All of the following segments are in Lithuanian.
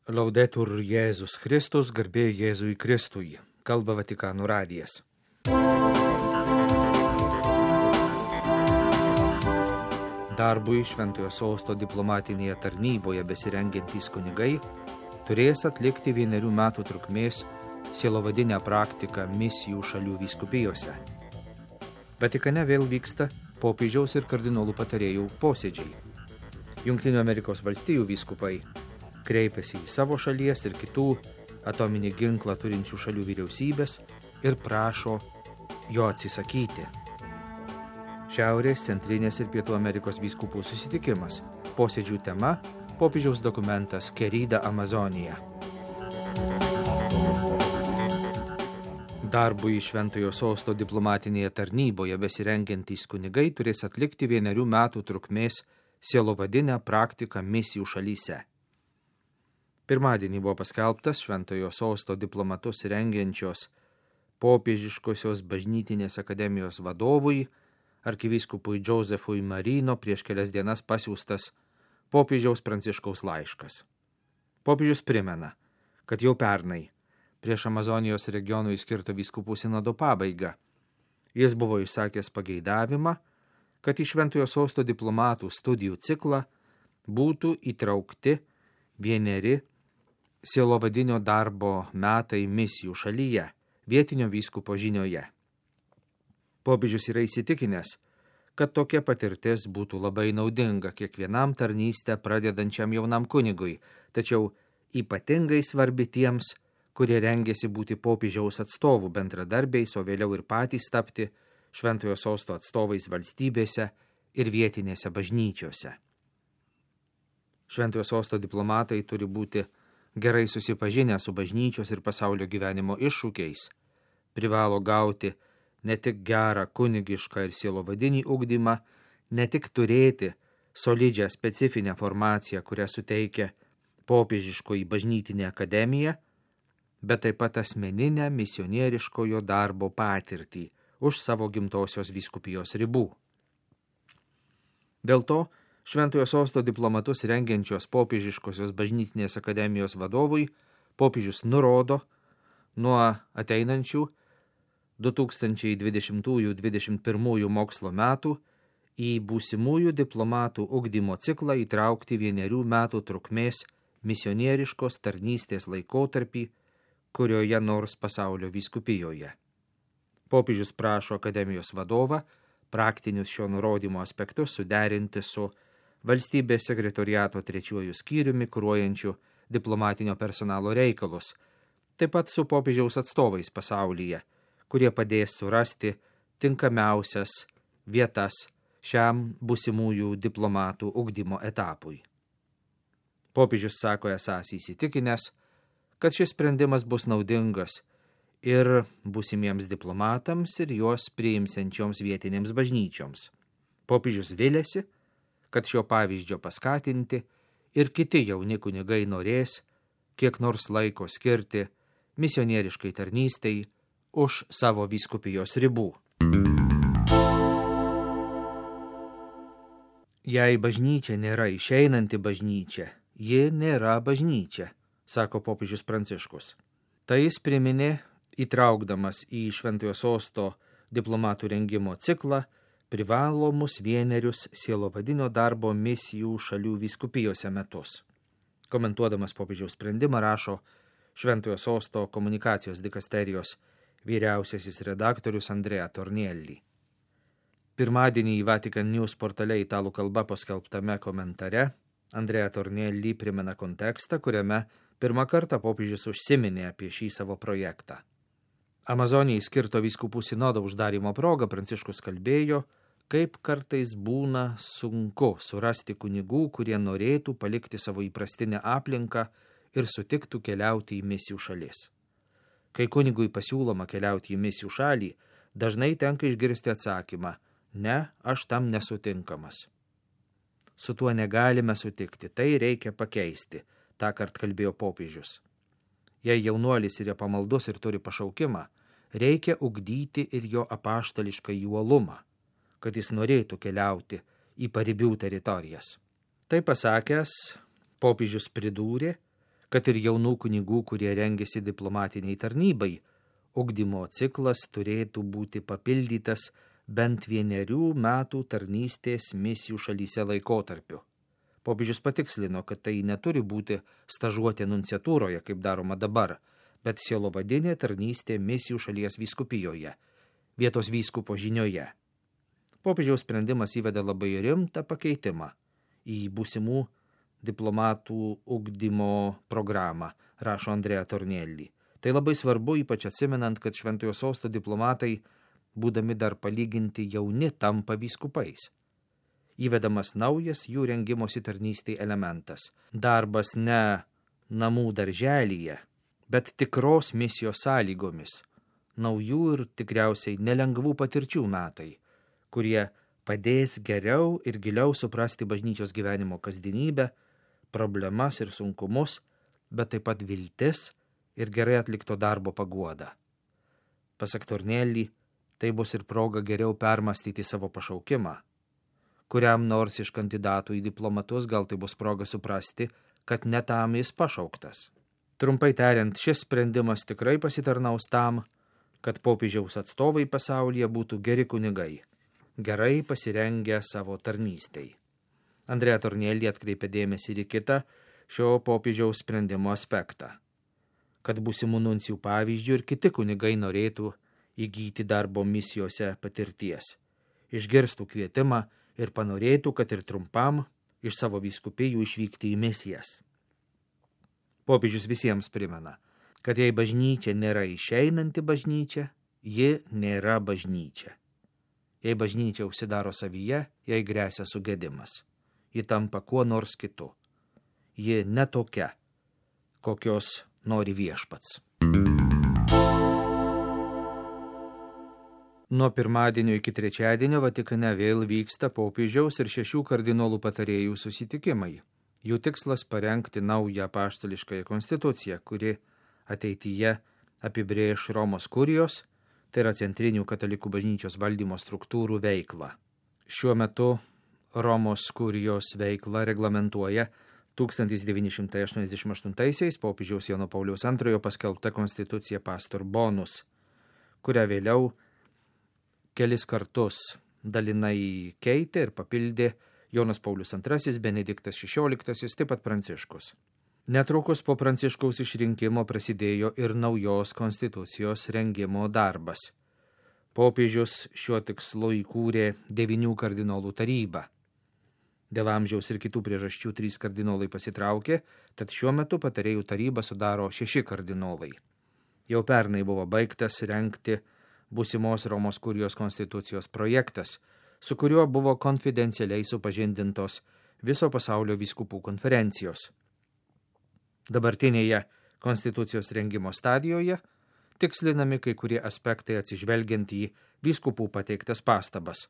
Laudetur Jėzus Kristus, garbė Jėzui Kristui, kalba Vatikano radijas. Darbui Šventojo Sosto diplomatinėje tarnyboje besirengiantys kunigai turės atlikti 1 metų trukmės sielovadinę praktiką misijų šalių vyskupijose. Vatikane vėl vyksta popiežiaus ir kardinolų patarėjų posėdžiai. Jungtinių Amerikos valstijų vyskupai kreipiasi į savo šalies ir kitų atominį ginklą turinčių šalių vyriausybės ir prašo jo atsisakyti. Šiaurės, Centrinės ir Pietų Amerikos vyskupų susitikimas. Posėdžių tema – popiežiaus dokumentas Querida Amazonija. Darbui Šventojo Sosto diplomatinėje tarnyboje besirengiantys kunigai turės atlikti 1 metų trukmės sielovadinę praktiką misijų šalyse. Pirmadienį buvo paskelbtas Šventojo Sosto diplomatus rengiančios popiežiškosios bažnytinės akademijos vadovui, arkivyskupui Josefui Marino prieš kelias dienas pasiųstas popiežiaus Pranciškaus laiškas. Popiežius primena, kad jau pernai, prieš Amazonijos regionui skirto vyskupų sinodo pabaigą, jis buvo išsakęs pageidavimą, kad į Šventojo Sosto diplomatų studijų ciklą būtų įtraukti 1 sielovadinio darbo metai misijų šalyje, vietinio vyskupo žinioje. Popiežius yra įsitikinęs, kad tokia patirtis būtų labai naudinga kiekvienam tarnystę pradedančiam jaunam kunigui, tačiau ypatingai svarbi tiems, kurie rengiasi būti popiežiaus atstovų bendradarbiais, o vėliau ir patys tapti Šventojo Sosto atstovais valstybėse ir vietinėse bažnyčiose. Šventojo Sosto diplomatai turi būti gerai susipažinę su bažnyčios ir pasaulio gyvenimo iššūkiais, privalo gauti ne tik gerą kunigišką ir sielovadinį ugdymą, ne tik turėti solidžią specifinę formaciją, kurią suteikia popiežiškoji bažnytinė akademija, bet taip pat asmeninę misionieriškojo darbo patirtį už savo gimtosios vyskupijos ribų. Dėl to Šventojo Sosto diplomatus rengiančios popiežiškosios bažnytinės akademijos vadovui popiežius nurodo nuo ateinančių 2020-2021 mokslo metų į būsimųjų diplomatų ugdymo ciklą įtraukti 1 metų trukmės misionieriškos tarnystės laikotarpį kurioje nors pasaulio vyskupijoje. Popiežius prašo akademijos vadovą praktinius šio nurodymo aspektus suderinti su valstybės sekretoriato 3 skyriumi kuruojančiu diplomatinio personalo reikalus, taip pat su popiežiaus atstovais pasaulyje, kurie padės surasti tinkamiausias vietas šiam būsimųjų diplomatų ugdymo etapui. Popiežius sako esąs įsitikinęs, kad šis sprendimas bus naudingas ir būsimiems diplomatams ir juos priimsiančioms vietinėms bažnyčioms. Popiežius viliasi, kad šio pavyzdžio paskatinti ir kiti jauni kunigai norės kiek nors laiko skirti misionieriškai tarnystei už savo vyskupijos ribų. Jei bažnyčia nėra išeinanti bažnyčia, ji nėra bažnyčia, sako popiežius Pranciškus. Tai jis priminė, įtraukdamas į Šventojo Sosto diplomatų rengimo ciklą privalomus 1 sielovadinio darbo misijų šalių vyskupijose metus. Komentuodamas popiežiaus sprendimą rašo Šventojo Sosto komunikacijos dikasterijos vyriausiasis redaktorius Andrea Tornielli. Pirmadienį į Vatican News portale italų kalba paskelbtame komentare Andrea Tornielli primena kontekstą, kuriame pirmą kartą popiežius užsiminė apie šį savo projektą. Amazonijai skirto vyskupų sinodo uždarymo proga Pranciškus kalbėjo, kaip kartais būna sunku surasti kunigų, kurie norėtų palikti savo įprastinę aplinką ir sutiktų keliauti į misijų šalis. Kai kunigui pasiūloma keliauti į misijų šalį, dažnai tenka išgirsti atsakymą, ne, aš tam nesutinkamas. Su tuo negalime sutikti, tai reikia pakeisti, tąkart kalbėjo popiežius. Jei jaunuolis yra pamaldus ir turi pašaukimą, reikia ugdyti ir jo apaštališką uolumą, kad jis norėtų keliauti į paribių teritorijas. Tai pasakęs, popiežius pridūrė, kad ir jaunų kunigų, kurie rengiasi diplomatiniai tarnybai, ugdymo ciklas turėtų būti papildytas bent 1 metų tarnystės misijų šalyse laikotarpiu. Popiežius patikslino, kad tai neturi būti stažuotė nunciatūroje, kaip daroma dabar, bet sielovadinė tarnystė misijų šalies vyskupijoje, vietos vyskupo žinioje. Popiežiaus sprendimas įveda labai rimtą pakeitimą į būsimų diplomatų ugdymo programą, rašo Andrea Tornielli. Tai labai svarbu, ypač atsimenant, kad Šventojo Sosto diplomatai, būdami dar palyginti jauni, tampa vyskupais. Įvedamas naujas jų rengimosi tarnystei elementas. Darbas ne namų darželyje, bet tikros misijos sąlygomis. Naujų ir tikriausiai nelengvų patirčių metai, kurie padės geriau ir giliau suprasti bažnyčios gyvenimo kasdienybę, problemas ir sunkumus, bet taip pat viltis ir gerai atlikto darbo paguoda. Pasak Tornielli, tai bus ir proga geriau permastyti savo pašaukimą. Kuriam nors iš kandidatų į diplomatus gal tai bus proga suprasti, kad ne tam jis pašauktas. Trumpai tariant, šis sprendimas tikrai pasitarnaus tam, kad popiežiaus atstovai pasaulyje būtų geri kunigai, gerai pasirengę savo tarnystei. Andrea Tornielli atkreipė dėmesį ir į kitą šio popiežiaus sprendimo aspektą, kad būsimų nuncijų pavyzdžių ir kiti kunigai norėtų įgyti darbo misijose patirties, išgirstų kvietimą ir panorėtų, kad ir trumpam iš savo vyskupijų išvykti į misijas. Popiežius visiems primena, kad jei bažnyčia nėra išeinanti bažnyčia, ji nėra bažnyčia. Jei bažnyčia užsidaro savyje, jai gresia sugedimas. Ji tampa kuo nors kitu. Ji ne tokia, kokios nori viešpats. Nuo pirmadienio iki trečiadienio Vatikane vėl vyksta popiežiaus ir 6 kardinolų patarėjų susitikimai. Jų tikslas parengti naują apaštališkąją konstituciją, kuri ateityje apibrėš Romos kurijos, tai yra centrinių katalikų bažnyčios valdymo struktūrų veiklą. Šiuo metu Romos kurijos veiklą reglamentuoja 1988 popiežiaus Jono Pauliaus II paskelbta konstitucija Pastor Bonus, kurią vėliau kelis kartus dalinai keitė ir papildė Jonas Paulius II, Benediktas XVI, taip pat Pranciškus. Netrukus po Pranciškaus išrinkimo prasidėjo ir naujos konstitucijos rengimo darbas. Popiežius šiuo tikslu įkūrė 9 kardinolų tarybą. Dėl amžiaus ir kitų priežasčių 3 kardinolai pasitraukė, tad šiuo metu patarėjų tarybą sudaro 6 kardinolai. Jau pernai buvo baigtas rengti būsimos Romos kurijos konstitucijos projektas, su kuriuo buvo konfidencialiai supažindintos viso pasaulio vyskupų konferencijos. Dabartinėje konstitucijos rengimo stadijoje tikslinami kai kurie aspektai atsižvelgiant į vyskupų pateiktas pastabas.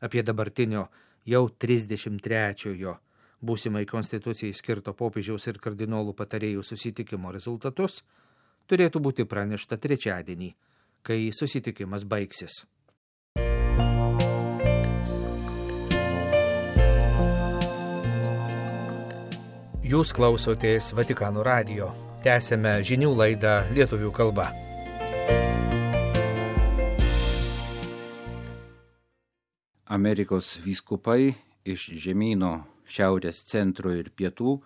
Apie dabartinio jau 33-ojo būsimai konstitucijai skirto popiežiaus ir kardinolų patarėjų susitikimo rezultatus turėtų būti pranešta trečiadienį, kai susitikimas baigsis. Jūs klausotės Vatikano radijo. Tęsėme žinių laidą lietuvių kalba. Amerikos vyskupai iš žemyno šiaurės, centro ir pietų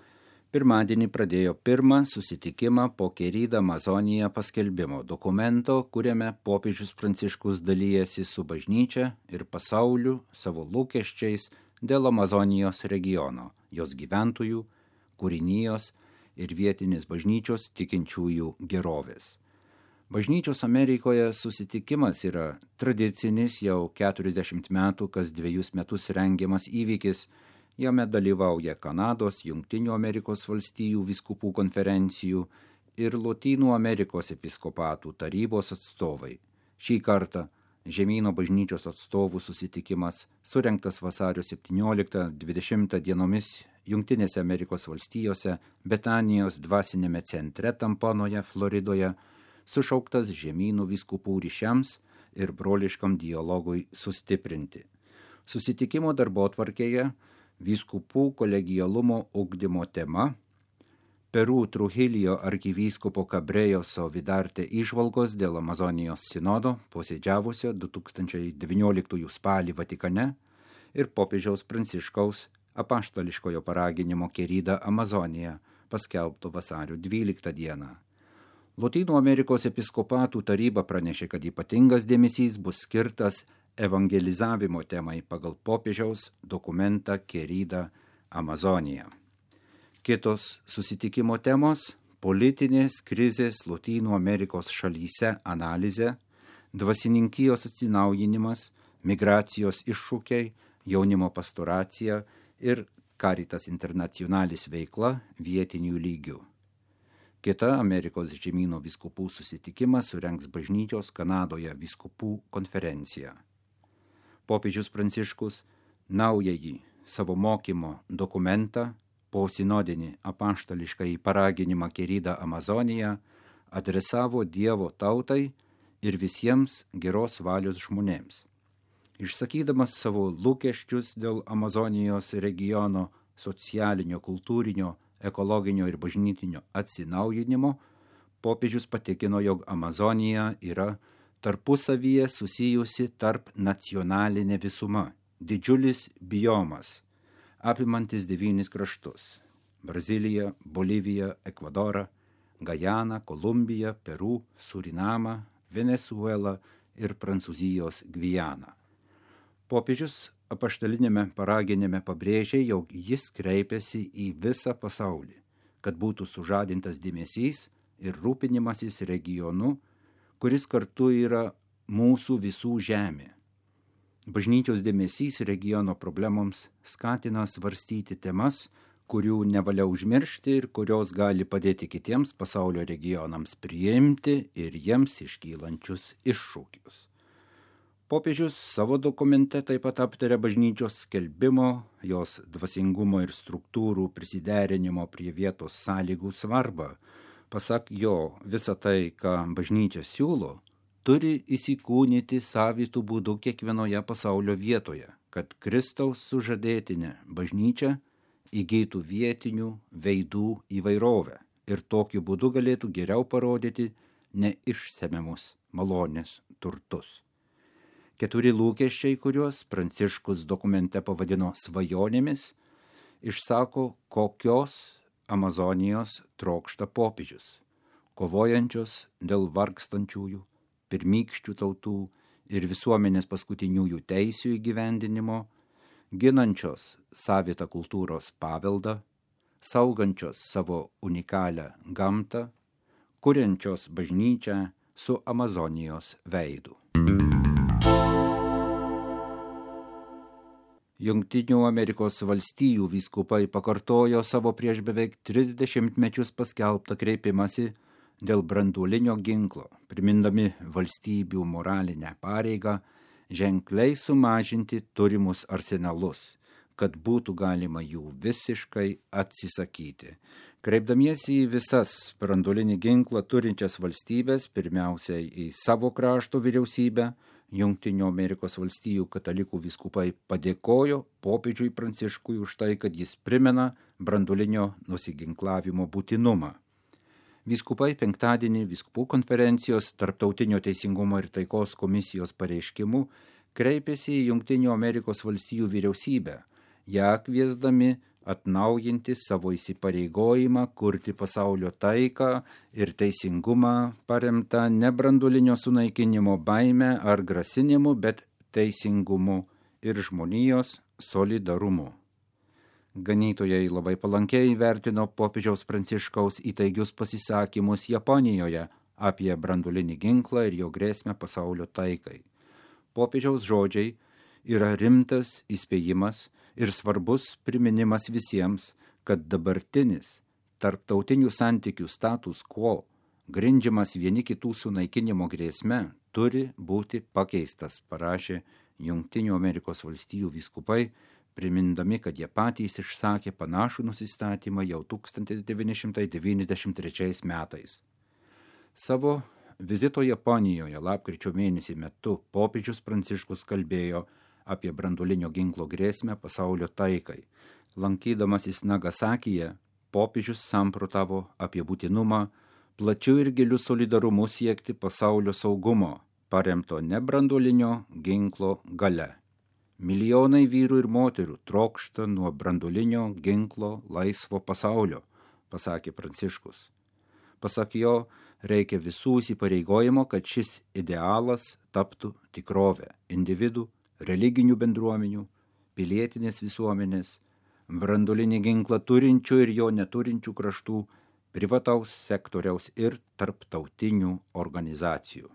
pirmadienį pradėjo pirmą susitikimą po Querida Amazonija paskelbimo dokumento, kuriame popiežius Pranciškus dalijasi su bažnyčia ir pasauliu savo lūkesčiais dėl Amazonijos regiono, jos gyventojų, kūrinijos ir vietinės bažnyčios tikinčiųjų gerovės. Bažnyčios Amerikoje susitikimas yra tradicinis jau 40 metų kas 2 metus rengiamas įvykis. Jame dalyvauja Kanados, Jungtinių Amerikos valstijų vyskupų konferencijų ir Lotynų Amerikos episkopatų tarybos atstovai. Šį kartą žemyno bažnyčios atstovų susitikimas surengtas vasario 17-20 dienomis Jungtinėse Amerikos valstijose, Betanijos dvasinėme centre Tampanoje, Floridoje, sušauktas žemynų vyskupų ryšiams ir broliškam dialogui sustiprinti. Susitikimo darbotvarkėje vyskupų kolegialumo ugdymo tema, Peru Trujillo arkivyskupo Cabrėjoso Vidarte įžvalgos dėl Amazonijos sinodo posėdžiavusio 2019 spalį Vatikane ir popiežiaus Pranciškaus apaštališkojo paraginimo Querida Amazonija paskelbto vasario 12 dieną. Lotynų Amerikos episkopatų taryba pranešė, kad ypatingas dėmesys bus skirtas evangelizavimo temai pagal popiežiaus dokumentą Querida Amazonija. Kitos susitikimo temos – politinės krizės Lotynų Amerikos šalyse analizė, dvasininkijos atsinaujinimas, migracijos iššūkiai, jaunimo pastoracija ir Caritas Internationalis veikla vietinių lygių. Kita Amerikos žemyno vyskupų susitikimas surengs bažnyčios Kanadoje vyskupų konferenciją. Popiežius Pranciškus naująjį savo mokymo dokumentą po sinodinį apaštališkąjį paraginimą Querida Amazonija adresavo Dievo tautai ir visiems geros valios žmonėms. Išsakydamas savo lūkesčius dėl Amazonijos regiono socialinio, kultūrinio, ekologinio ir bažnytinio atsinaujinimo, popiežius patikino, jog Amazonija yra tarpusavyje susijusi tarp nacionalinė visuma, didžiulis biomas, apimantis 9 kraštus – Braziliją, Boliviją, Ekvadorą, Gajaną, Kolumbiją, Peru, Surinamą, Venezuelą ir Prancūzijos Gvianą. Popiežius apaštalinėme paraginime pabrėžė, jog jis kreipėsi į visą pasaulį, kad būtų sužadintas dėmesys ir rūpinimasis regionu, kuris kartu yra mūsų visų žemė. Bažnyčios dėmesys regiono problemoms skatina svarstyti temas, kurių nevalia užmiršti ir kurios gali padėti kitiems pasaulio regionams priimti ir jiems iškylančius iššūkius. Popiežius savo dokumente taip pat aptarė bažnyčios skelbimo, jos dvasingumo ir struktūrų prisiderinimo prie vietos sąlygų svarbą. Pasak jo, visa tai, ką bažnyčia siūlo, turi įsikūnyti savitų būdų kiekvienoje pasaulio vietoje, kad Kristaus sužadėtinė bažnyčia įgytų vietinių veidų įvairovę ir tokiu būdu galėtų geriau parodyti neišsemiamus malonės turtus. 4 lūkesčiai, kuriuos Pranciškus dokumente pavadino svajonėmis, išsako, kokios Amazonijos trokšta popiežius, kovojančios dėl vargstančiųjų, pirmykščių tautų ir visuomenės paskutiniųjų teisių įgyvendinimo, ginančios savitą kultūros paveldą, saugančios savo unikalią gamtą, kuriančios bažnyčią su Amazonijos veidu. Jungtinių Amerikos valstijų vyskupai pakartojo savo prieš beveik 30 mečius paskelbtą kreipimąsi dėl branduolinio ginklo, primindami valstybių moralinę pareigą ženkliai sumažinti turimus arsenalus, kad būtų galima jų visiškai atsisakyti. Kreipdamiesi į visas branduolinį ginklą turinčias valstybės, pirmiausiai į savo krašto vyriausybę, Jungtinių Amerikos valstijų katalikų vyskupai padėkojo popiežiui Pranciškui už tai, kad jis primena branduolinio nusiginklavimo būtinumą. Vyskupai penktadienį vyskupų konferencijos Tarptautinio teisingumo ir taikos komisijos pareiškimu kreipėsi į Jungtinių Amerikos valstijų vyriausybę, ją kviesdami atnaujinti savo įsipareigojimą kurti pasaulio taiką ir teisingumą paremtą ne branduolinio sunaikinimo baime ar grasinimu, bet teisingumu ir žmonijos solidarumu. Ganytojai labai palankiai vertino popiežiaus Pranciškaus įtaigius pasisakymus Japonijoje apie branduolinį ginklą ir jo grėsmę pasaulio taikai. Popiežiaus žodžiai yra rimtas įspėjimas ir svarbus priminimas visiems, kad dabartinis tarptautinių santykių status quo, grindžiamas vieni kitų sunaikinimo grėsme, turi būti pakeistas, parašė Jungtinių Amerikos valstijų vyskupai, primindami, kad jie patys išsakė panašų nusistatymą jau 1993 metais. Savo vizito Japonijoje lapkričio mėnesį metu popiežius Pranciškus kalbėjo apie branduolinio ginklo grėsmę pasaulio taikai. Lankydamasis Nagasakyje, popiežius samprotavo apie būtinumą plačiu ir giliu solidarumu siekti pasaulio saugumo, paremto nebranduolinio ginklo gale. Milijonai vyrų ir moterų trokšta nuo branduolinio ginklo laisvo pasaulio, pasakė Pranciškus. Pasak jo, reikia visų įsipareigojimo, kad šis idealas taptų tikrovę individų, religinių bendruomenių, pilietinės visuomenės, branduolinį ginklą turinčių ir jo neturinčių kraštų, privataus sektoriaus ir tarptautinių organizacijų.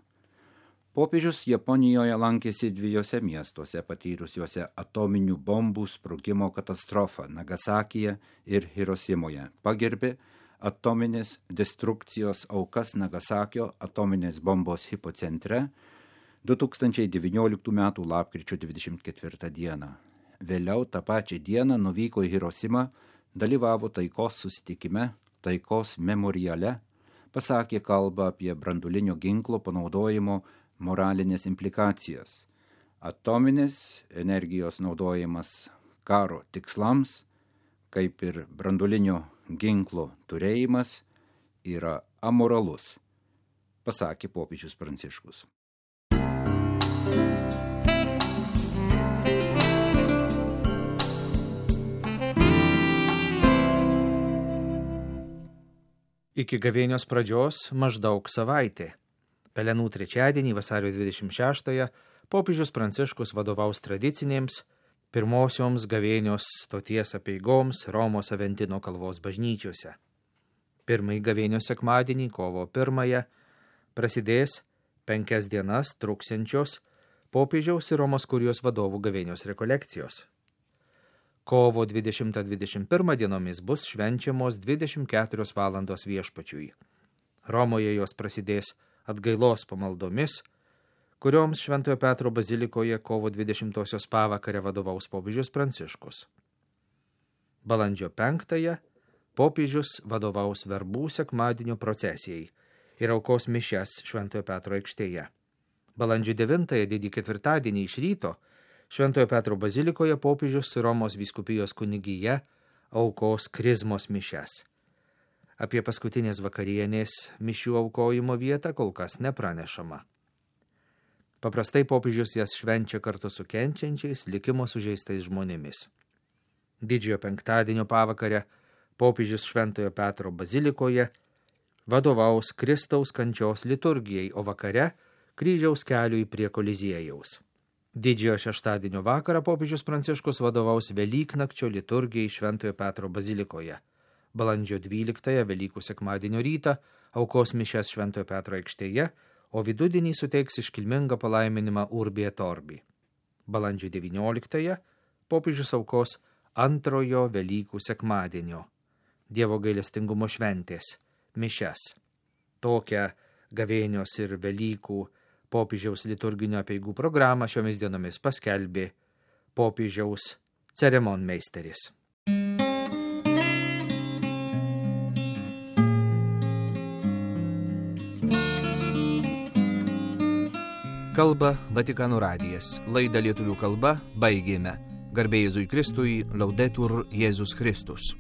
Popiežius Japonijoje lankėsi 2 miestuose patyrusiuose atominių bombų sprogimo katastrofą Nagasakyje ir Hirosimoje. Pagerbė atominės destrukcijos aukas Nagasakio atominės bombos hipocentre 2019 m. lapkričio 24 dieną. Vėliau tą pačią dieną nuvyko į Hirosimą, dalyvavo taikos susitikime, taikos memoriale, pasakė kalbą apie branduolinio ginklo panaudojimo moralinės implikacijas. Atominės energijos naudojimas karo tikslams, kaip ir branduolinio ginklo turėjimas, yra amoralus, pasakė popiežius Pranciškus. Iki gavėnios pradžios maždaug savaitė. Pelenų trečiadienį, vasario 26-ąją, popiežius Pranciškus vadovaus tradicinėms pirmosioms gavėnios stoties apeigoms Romos Aventino kalvos bažnyčiose. Pirmąjį gavėnios sekmadienį, kovo 1-ąją, prasidės 5 dienas truksiančios popiežiaus ir Romos kurijos vadovų gavėnios rekolekcijos. Kovo 20-21 dienomis bus švenčiamos 24 valandos viešpačiui. Romoje jos prasidės atgailos pamaldomis, kurioms Šventojo Petro bazilikoje kovo 20-osios pavakarę vadovaus popiežius Pranciškus. Balandžio 5-ąją popiežius vadovaus verbų sekmadienio procesijai ir aukos mišias Šventojo Petro aikštėje. Balandžio 9-ąją didį ketvirtadienį iš ryto Šventojo Petro bazilikoje popiežius Romos vyskupijos kunigija aukos krizmos mišias. Apie paskutinės vakarienės mišių aukojimo vietą kol kas nepranešama. Paprastai popiežius jas švenčia kartu su kenčiančiais, likimo sužeistais žmonėmis. Didžiojo penktadienio pavakarę popiežius Šventojo Petro bazilikoje vadovaus Kristaus kančios liturgijai, o vakare kryžiaus keliui prie Koliziejaus. Didžiojo šeštadienio vakarą popiežius Pranciškus vadovaus Velyknakčio liturgijai Šventojo Petro bazilikoje. Balandžio 12-ąją Velykų sekmadienio rytą aukos mišias Šventojo Petro aikštėje, o vidudienį suteiks iškilmingą palaiminimą Urbi et Orbi. Balandžio 19-ąją popiežius aukos antrojo Velykų sekmadienio Dievo gailestingumo šventės mišias. Tokią gavėnios ir Velykų popiežiaus liturginio apeigų programą šiomis dienomis paskelbė popiežiaus ceremonmeisteris. Kalba Vatikano radijas. Laidą lietuvių kalba baigėme. Garbė Jėzui Kristui, Laudetur Jėzus Kristus.